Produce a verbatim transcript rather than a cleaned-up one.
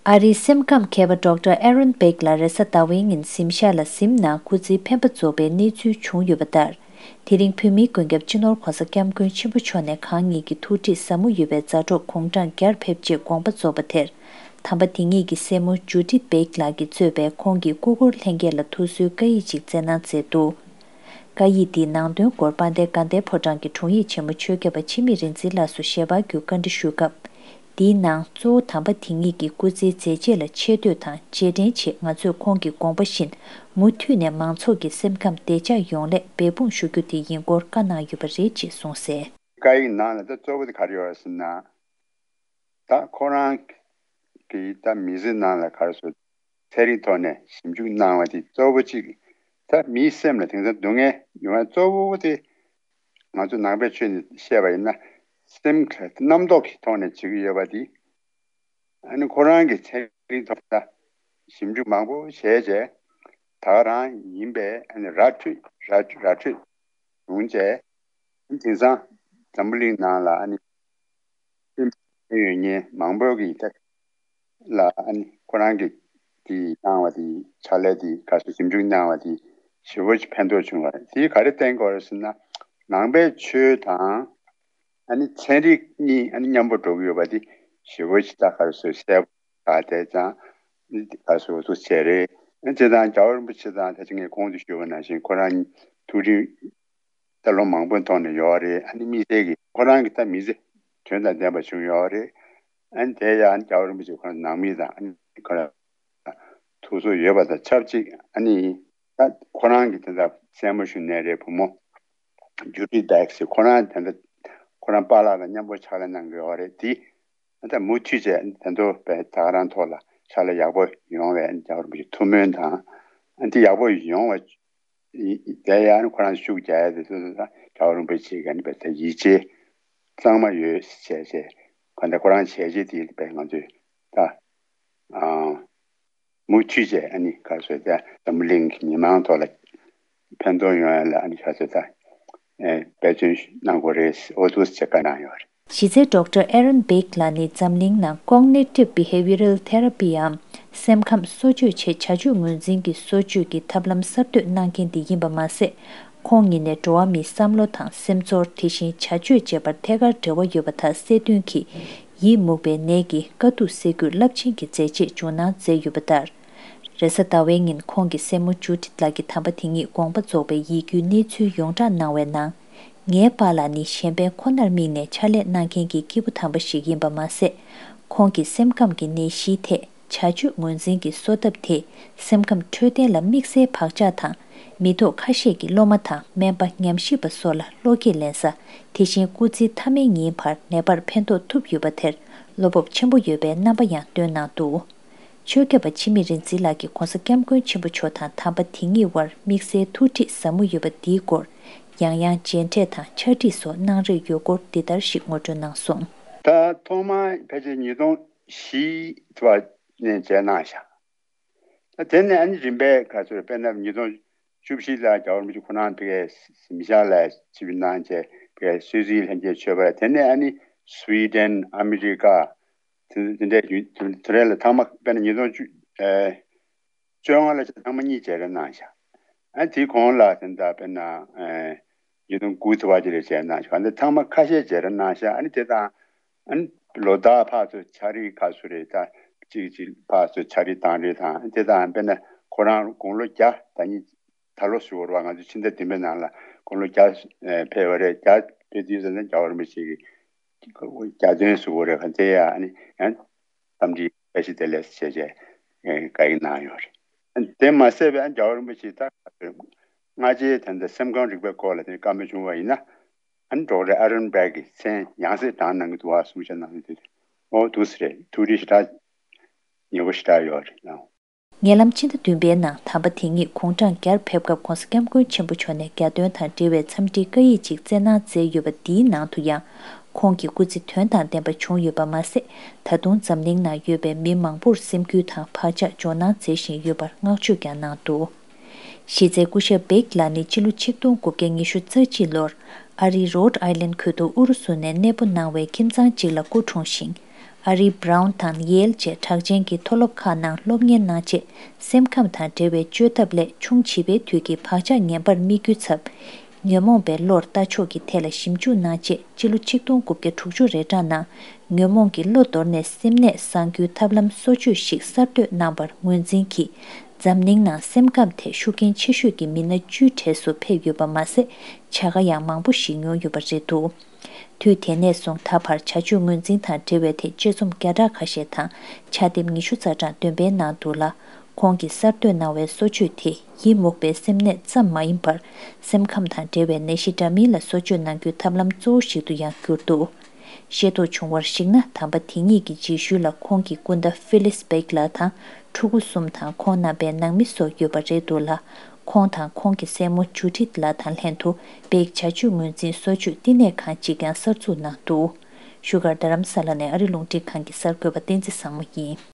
ཨ་རིའི་སེམས་ཁམས་མཁས་པ་ཌོག་ཊར་ཨེ་རོན་པེག་ལགས་རེས་གཟའ་ཟླ་བའི་ཉིན་གཟིམ་ཤག་ལ་གཟིམ་ན་སྐུ་ཚེའི་འཕེན་པ་རྫོགས་པའི་གནས་ཚུལ་བྱུང་ཡོད་པ་ལྟར། དེ་རིང་བོད་མིའི་མགོན་སྐྱབས་སྤྱི་ནོར་༧གོང་ས་༧སྐྱབས་མགོན་ཆེན་པོ་མཆོག་ནས་གང་ཉིད་ཀྱི་ཐུགས་ཁྲིད་ཟབ་མོ་ཡོད་པའི་མཛའ་གྲོགས་དགུང་གྲངས་བརྒྱར་ཕེབས་རྗེས་དགོངས་པ་རྫོགས་པ་དེར། དམ་པ་དེ་ཉིད་ཀྱི་སྲས་མོ་ཇུ་ཌིཐ་པེག་ལགས་ཀྱིས་གཙོས་པའི་ཁོང་གི་སྐུ་འཁོར་ལྷན་རྒྱས་ལ་ཐུགས་གསོའི་བཀའ་ཡིག་ཅིག་སྩལ་གནང་མཛད་འདུག། བཀའ་ཡིག་འདིའི་ནང་དོན་སྐོར་དཔལ་ལྡན་དགའ་ལྡན་ཕོ་བྲང་གི་དྲུང་ཡིག་ཆེན་མོ་ཆོས་སྐྱབས་པ་འཆི་མེད་རིག་འཛིན་ལགས་སུ་ཞལ་པར་བརྒྱུད་བཀའ་འདྲི་ཞུས་སྐབས། འདིའི་ནང་གཙོ་བོ་དམ་པ་དེ་ཉིད་ཀྱི་སྐུ་ཚེའི་མཛད་རྗེས་ལ་ཆེ་བསྟོད་དང་རྗེས་དྲན་ཆེད། ང་ཚོས་ཁོང་གི་དགོངས་པ་བཞིན་མུ་མཐུད་ནས་མང་ཚོགས་ཀྱི་སེམས་ཁམས་བདེ་འཇགས་ཡོང་སླད་འབད་འབུངས་ཞུ་རྒྱུ་དེ་ཡིན་སྐོར་བཀའ་གནང་ཡོད་པ་རེད་ཅེས་གསུངས་གསལ། བཀའ་ཡིག་ནང་ལ་ད་གཙོ་བོ་དེ་ག་རེ་ཡོད་རེད་ཟེར་ན། ད་ཁོ་རང་གི་ད་མི་ཚེ་ནང་ལ་ག་རེ་ཟེར། ཚན་རིག་ཐོག་ནས་ཞིབ་འཇུག་གནང་བ་དེ་གཙོ་བོ་གཅིག་ད་མིའི་སེམས་ལ་དེང་སང་སྡུག་བསྔལ་ཡོང་ཡ་གཙོ་བོ་དེ། ང་ཚོ་ནང་པའི་ཆོས་ནས་བཤད་པ་ཡིན་ན། སེམས་ཁ་རྣམ་རྟོག་གི་ཐོག་ནས་བྱེད་ཀྱི་ཡོད་པ་དེ། ཨ་ནི་ཁོ་རང་གི་ཚན་རིག་ཐོག་ལ་ཞིབ་འཇུག་མང་པོ་བྱས་རྗེས། ད་ག་རང་ཡིན་པས་ཨ་ནི་ར་འཕྲོད་ར་འཕྲོད་ར་འཕྲོད་བྱུང་རྗེས། དེང་སང་འཛམ་བུ་གླིང་ནང་ལ་ཨ་ནི་སེམས་ཡོད་མཁན་མང་པོ་གིས་ད་ལ་ཨ་ནི་ཁོ་རང་གིས་དེ་གནང་བ་དེ་ཕྱག་ལས་དེ་ག་ཚོད་ཞིབ་འཇུག་གནང་བ་དེ་ཞེ་པོ་ཅིག་ཕན་ཐོགས་བྱུང་བ་རེད། དེ་ག་རེ་བསྟན་དགོས་རེད་ཟེར་ན། ནང་པའི་ཆོས་དང་ཨ་ནི་ཚན་རིག་གཉིས་ཨ་ནི་མཉམ་པོ་འགྲོ་གི་ཡོད་པ་དེ་ཞེ་པོ་ཅིག་ད་ག་རེ་ཟེར་གསལ་པོ་ཆགས་བསྡད་ཙང་། ཨ་ནི་དེ་ག་རེ་ཟེར་འོ་ཐུགས་ཆེ་རེད། ཨ་ནི་དེ་དང་རྒྱལ་བ་རིན་པོ་ཆེ་དང་ད་ཅི་ངས་གོང་དུ་ཞུས་པ་ནང་བཞིན་ཁོ་རང་ཐུགས་རིམ། ད་ལོ་མང་པོའི་ཐོག་ནས་ཡོད་རེད། ཨ་ནི་དམིགས་བསལ་གྱིས་ཁོ་རང་གི་ད་མི་ཚེ་དོན་དང་ལྡན་པ་བྱུང་ཡོད་རེད། ཨ་ནི་དེ་ཡང་རྒྱལ་བ་རིན་པོ་ཆེ་ཁོ་རང་ནང་མི་དང་ཨ་ནི་ཁོ་རང་ཐུགས་གསོ་ཡོད་པ་དང་ཆབས་ཅིག་ཨ་ནི་ད་ཁོ་རང་གི་དེ་འདྲ་སྲས་མོ་ཞུ་ནས་རེད། བུ་མོ་ཇུ་ཌི་བེག་སི་ཁོ་རང་དེ་འདྲ་ཁོ་རང་པཱ་ལགས་དང་མཉམ་པོ་ཕྱག་ལས་གནང་གི་ཡོད་རེད། དེ་ད་མུ་མཐུད་བྱས་དེ་ཚོ་བས་ད་ག་རང་ཐོག་ལ་ཕྱག་ལས་ཡག་པོ་ཡོང་བའི་རྒྱལ་བ་རིན་པོ་ཆེ་ཐུགས་སྨོན་དང་། ཨ་འདི་ཡག་པོ་ཡོང་བ་དེ་ཡང་ཁོ་རང་ཤུགས་རྒྱག་ཡ་དེ་ཚོ་ད་རྒྱལ་བ་རིན་པོ་ཆེ་ག་ནི་བས་ད་ཡིད་ཆེས་གཙང་མ་ཡོད་བྱས་བྱས་ག་འདྲ་ཁོ་རང་བྱས་རྗེས་དེ་བས་ང་ཚོས་ད་ཨ། མུ་མཐུད་བྱས་ཨ་ནི་ག་རེ་ཟེར་ཏེ་འཛམ་བུ་གླིང་གི་མི་མང་ཐོག་ལ་ཕན་ཐོགས་ཡོང་ཡ་ལ་ཨ་ནི་ག་རེ་ཟེར་ཏེ་འབད་བརྩོན་གནང་དགོས་རེད། འོ་འདུག་ཟེར་བཀའ་གནང་ཡོད་རེད། གཞི་རྩའི་ཌོག་ཊར་ཨེ་རོན་བེག་ལགས་ནི་འཛམ་གླིང་ནང་Cognitive Behavioral Therapy འམ་སེམས་ཁམས་གསོ་བཅོས་ཆེད་བྱ་སྤྱོད་ངོས་འཛིན་གྱི་གསོ་བཅོས་ཀྱི་ཐབས་ལམ་གསར་གཏོད་གནང་མཁན་དེ་ཡིན་པ་མ་ཟད། ཁོང་ཉིད་ནས་འགྲོ་བ་མིའི་བསམ་བློ་དང་སེམས་ཚོར་དེ་བཞིན་བྱ་སྤྱོད་བཅས་པར་ཐད་ཀར་འབྲེལ་བ་ཡོད་པ་དག་གསལ་སྟོན་གྱིས། ཡིད་མུག་པའི་ནད་ཀྱི་དཀའ་སྡུག་སེལ་རྒྱུར་རླབས་ཆེན་གྱི་མཛད་རྗེས་འཇོག་གནང་མཛད་ཡོད་པ་ལྟར། རེས་གཟའ་ཟླ་བའི་ཉིན་ཁོང་གི་སྲས་མོ་ཇུ་ཌིཐ་ལགས་ཀྱིས་དམ་པ་དེ་ཉིད་དགོངས་པ་རྫོགས་པའི་ཡིད་སྐྱོའི་གནས་ཚུལ་ཡོངས་བསྒྲགས་གནང་བའི་ནང་། ངའི་པཱ་ལགས་ནི་གཞན་ཕན་ཁོ་ནར་དམིགས་ནས་ཕྱག་ལས་གནང་མཁན་གྱི་སྐྱེས་བུ་དམ་པ་ཞིག་ཡིན་པ་མ་ཟད། ཁོང་གི་སེམས་ཁམས་ཀྱི་ནད་གཞིའི་ཐད་བྱ་སྤྱོད་ངོས་འཛིན་གྱི་གསོ་ཐབས་དེས་སེམས་ཁམས་འཕྲོད་བསྟེན་ལ་དམིགས་བསལ་བག་ཆགས་དང་། མི་ཐོག་ཁ་ཤས་ཀྱི་སློབ་མ་དང་སྨན་པ་ཉམས་ཞིབ་པ་སོགས་ལ་བློ་སྐྱེད་ལེན་ས། དེ་བཞིན་སྐུ་ཚེའི་མཐའ་མའི་ཉིན་བར་ནད་པར་ཕན་ཐོགས་ཐུབ་ཡོད་པ་དེར་བློ་སྤོབས་ཆེན་པོ་ཡོད་པའི་རྣམ་པ་ཡང་བཏོན་གནང་འདུག། ཆོས་སྐྱབས་པ་འཆི་མེད་རིག་འཛིན་ལགས་ཀྱིས་༧གོང་ས་༧སྐྱབས་མགོན་ཆེན་པོ་མཆོག་དང་དམ་པ་དེ་ཉིད་དབར་དམིགས་བསལ་ཐུགས་ཁྲིད་ཟབ་མོ་ཡོད་པ་འདིའི་སྐོར། ཡང་ཡང་མཇལ་འཕྲད་དང་ཕྱག་བྲིས་སོགས་གནང་རེས་ཡོད་སྐོར་འདི་ལྟར་ཞིག་ངོ་སྤྲོད་གནང་སོང་། ད་ཐོག་མར་ཕལ་ཆེར་ཉིས་སྟོང་བཞི་བ་ནས་མཇལ་གནང་བཞག། ད་དེ་ནས་ཨ་ནི་རིམ་པས་ག་ཚོད་དཔེར་ན་ཉིས་སྟོང་བཅུ་བཞི་ལ་རྒྱལ་བ་རིན་པོ་ཆེ་ཁོ་རང་ཕ་གིའི་གཟིམ་ཤག་ལ་ཆིབས་བསྒྱུར་གནང་བྱས་ཕ་གིའི་སུད་སིའི་ལྷན་རྒྱས་ཆོས་པ། དེ་ནས་ཨ་ནི་སུའི་ཌེན། ཨ་མི་རི་ཀ། དེ་དེ་འདྲའི་ཡུལ་དེ་དེ་རེ་ལ་ཐེངས་མ་དཔེར་ན་ཉིས་སྟོང་བཅུ་ཨེ་བཅོ་ལྔ་ལ་ཆ་ཚང་མ་གཉིས་མཇལ་འཕྲད་གནང་ཤག། ཨ་དེའི་གོང་ལ་དེ་འདྲ་དཔེར་ན་ཨེ་ཉིས་སྟོང་དགུ་ཙམ་པ་ཅིག་ལ་མཇལ་གནང་ཤག། ཨ་འདི་ཚང་མ་ཁ་ཤས་མཇལ་འཕྲད་གནང་ཤག། ཨ་ནི་དེ་དང་ཨ་ནི་ལོ་ལྟར་ཕར་ཚུར་ཕྱག་བྲིས་ཁ་སུ་རེད། ད་གཅིག་གཅིག་ཕར་ཚུར་ཕྱག་བྲིས་བཏང་རེས་དང་དེ་དང་དཔེར་ན་ཁོ་རང་དགུང་ལོ་བརྒྱ་ད་ཉིད་ད་ལོ་ཞུ་བར་བ་ང་ཚོ་ཕྱི་ཟླ་བདུན་པའི་ནང་ལ་དགུང་ལོ་བརྒྱ་ཨེ་ཕེབས་པ་རེད། བརྒྱ་ཕེབས་དུས་ཙམ་ན་རྒྱལ་བ་རིན་པོ་ཆེ་གི་གྱ་སྟོན་ཟེར་དགོས་རེད། ག་ཚད་ཡ་ཨ་ནི་ཡང་འཚམས་འདྲི་བཀྲ་ཤིས་བདེ་ལེགས་ཟེར་བྱས་བཀའ་ཡིག་གནང་ཡོད་རེད། དེ་མ་ཟད་པའི་རྒྱལ་བ་རིན་པོ་ཆེ་ད་སྔ་རྗེས་ད་ལྟ་སེམས་ཁམས་རིག་པའི་སྐོར་ལ་དེ་བཀའ་མོལ་བྱུང་བ་ཡིན་ན། ཨ་ནི་ཌོག་ཊར་ཨ་རོན་བྷེག་གིས་མཚན་ཡང་སེ་བགྲངས་གནང་གི་འདུག་བ་གསུང་བཤད་གནང་གི་འདུག། ཨོ་འདུག་སེ་རེད། ཐུགས་རེ་ཞེ་དྲག་ཉེ་པོ་ཞེ་དྲག་ཡོད་རེད། ཉེ་ལམ་ཕྱི་ཟླ་བདུན་པའི་ནང་དམ་པ་དེ་ཉིད་དགུང་གྲངས་བརྒྱར་ཕེབས་སྐབས་༧གོང་ས་༧སྐྱབས་མགོན་ཆེན་པོ་མཆོག་ནས་གྱ་སྟོན་དང་འབྲེལ་བའི་འཚམས་འདྲིའི་བཀའ་ཡིག་ཅིག་བསྩལ་གནང་མཛད་ཡོད་པ་འདིའི་ནང་དུ་ཡང་ཁོང་གི་སྐུ་ཚེ་དོན་དང་ལྡན་པ་བྱུང་ཡོད་པ་མ་ཟད། ད་དུང་འཛམ་གླིང་ནང་ཡོད་པའི་མི་མང་པོར་སེམས་འགུལ་དང་བག་ཆགས་འཇོག་གནང་མཛད་བཞིན་ཡོད་པར་བསྔགས་བརྗོད་ཀྱང་གནང་འདུག། གཞི་རྩའི་སྐུ་ཞབས་བེག་ལགས་ནི་ཕྱི་ལོ་ཆིག་སྟོང་དགུ་བརྒྱ་ཉི་ཤུ་རྩ་གཅིག་ལོར་ཨ་རིའི་རོཌ་ཨའི་ལན་ཁུལ་དུ་ཨུ་རུ་སུ་ནས་གནས་སྤོ་གནང་བའི་ཁྱིམ་ཚང་གཅིག་ལ་སྐུ་འཁྲུངས་ཤིང་། ཨ་རིའི་Brown་དང་Yale་བཅས་གྲགས་ཅན་གྱི་མཐོ་སློབ་ཁག་ནང་སློབ་གཉེར་གནང་རྗེས། སེམས་ཁམས་དང་འབྲེལ་བའི་བཅོས་ཐབས་ལས་ཆུང་བྱིས་པའི་དུས་ཀྱི་བག་ཆགས་ངན་པར་དམིགས་རྒྱུའི་ཚབ། ཉོན་མོངས་པའི་བློར་ལྟ་ཕྱོགས་ཀྱི་ཐད་ལ་ཞིབ་འཇུག་གནང་རྗེས། སྤྱི་ལོ་ཆིག་སྟོང་དགུ་བརྒྱ་དྲུག་ཅུ་རེ་གྲངས་ནང་ཉོན་མོངས་ཀྱི་བློ་དོར་ནས་སེམས་ནད་སངས་རྒྱུའི་ཐབས་ལམ་གསོ་བཅོས་ཤིག་གསར་གཏོད་གནང་བར་ངོས་འཛིན་གྱིས། འཛམ་གླིང་ནང་སེམས་ཁམས་ཐད་ཤུགས་རྐྱེན་ཆེ་ཤོས་ཀྱི་མི་སྣ་བཅུའི་གྲས་སུ་ཕེབས་ཡོད་པ་མ་ཟད། བྱ་དགའ་ཡང་མང་པོ་ཞིག་མྱོང་ཡོད་པ་རེད་འདུག་དུས་དེ་ནས་བཟུང་ད་བར་བྱ་སྤྱོད་ངོས་འཛིན་དང་འབྲེལ་བའི་ཐད་དཔྱད་རྩོམ་བརྒྱ་ཕྲག་ཁ་ཤས་དང་། ཕྱག་དེབ་ཉི་ཤུ་རྩ་གྲངས་འདོན་སྤེལ་གནང་འདུག་ལ། ཁོང་གིས་གསར་གཏོད་གནང་བའི་གསོ་བཅོས་དེ་ཡི་མུག་པའི་སེམས་ནད་ཙམ་མ་ཡིན་པར། སེམས་ཁམས་དང་འབྲེལ་བའི་ནད་གཞི་འདྲ་མིན་ལ་གསོ་བཅོས་གནང་རྒྱུའི་ཐབས་ལམ་གཙོ་བོ་ཞིག་ཏུ་ཡང་གྱུར་འདུག་ཤེས་རྟོགས་བྱུང་བར་གཞིགས་ན། དམ་པ་དེ་ཉིད་ཀྱི་རྗེས་ཤུལ་ལ་ཁོང་གི་སྐུ་ཟླ་Phyllis Beck་ལགས་དང་ཕྲུ་གུ་གསུམ་དང་ཁོང་རྣམ་པའི་ནང་མི་སོགས་ཡོད་པ་རེད་འདུག་ལ། ཁོང་དང་ཁོང་གི་སྲས་མོ་Judith་ལགས་དང་ལྷན་དུ་Beck་བྱ་སྤྱོད་ངོས་འཛིན་གསོ་བཅོས་བསྟི་གནས་ཁང་གཅིག་ཀྱང་གསར་འཛུགས་གནང་འདུག་བཞུགས་སྒར་རྡ་རམ་ས་ལ་ནས་ཨ་རི་རླུང་འཕྲིན་ཁང་གི་གསར་འགོད་པ་བསྟན་འཛིན་བཟང་མོ་ཡིན།